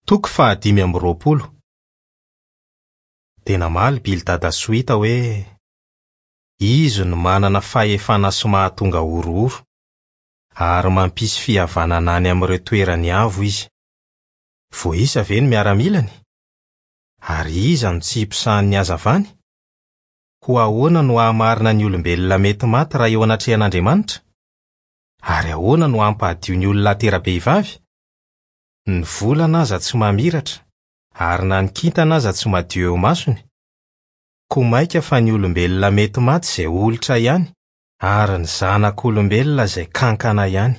Toko faha 25. Dia namaly Bildada Sohita hoe, Izy no manana fahefana sy mahatonga horohoro, ary mampisy fihavanana any amin'ireo toerany avo izy. Voaisa ve ny miaramilany? Ary iza no tsy hiposahan'ny hazavany? Koa ahoana no hahamarina ny olombelona mety maty raha eo anatrehan'Andriamanitra? Ary ahoana no hampahadio ny olona atera-behivavy? Ny volana aza tsy mamiratra, ary na ny kintana aza tsy madio eo imasony. Koa mainka fa ny olombelona mety maty izay olitra ihany, ary ny zanak'olombelona izay kankana ihany.